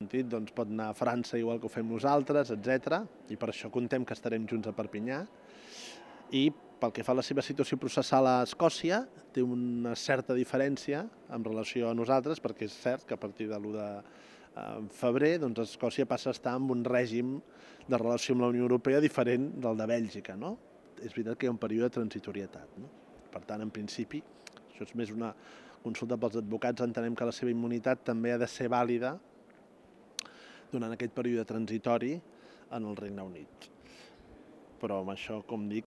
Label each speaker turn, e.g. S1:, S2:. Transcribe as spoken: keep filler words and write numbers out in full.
S1: sentit, doncs pot anar a França igual que ho fem nosaltres, etcètera. I per això contem que estarem junts a Perpinyà. I pel que fa a la seva situació processal a Escòcia, té una certa diferència en relació a nosaltres, perquè és cert que a partir de l'u de febrer doncs Escòcia passa a estar en un règim de relació amb la Unió Europea diferent del de Bèlgica, no? És veritat que hi ha un període de transitorietat, no? Per tant, en principi, això és més una consulta pels advocats, entenem que la seva immunitat també ha de ser vàlida durant aquest període transitori en el Regne Unit. Però amb això, com dic,